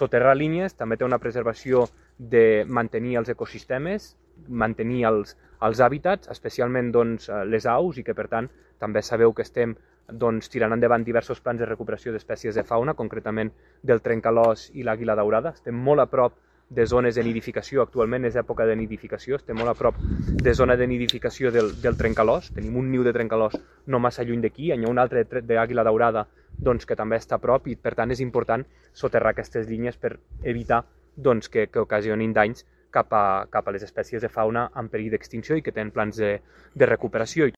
Soterrar línies també té una preservació de mantenir els ecosistemes, mantenir els hàbitats, especialment les aus, i que per tant també sabeu que estem tirant endavant diversos plans de recuperació d'espècies de fauna, concretament del trencalòs i l'àguila daurada. Estem molt a prop de zones de nidificació, actualment és època de nidificació, estem molt a prop de zona de nidificació del trencalòs, tenim un niu de trencalòs no massa lluny d'aquí, hi ha un altre d'àguila daurada que també està a prop, i per tant és important soterrar aquestes línies per evitar que ocasionin danys cap a les espècies de fauna en perill d'extinció i que tenen plans de recuperació.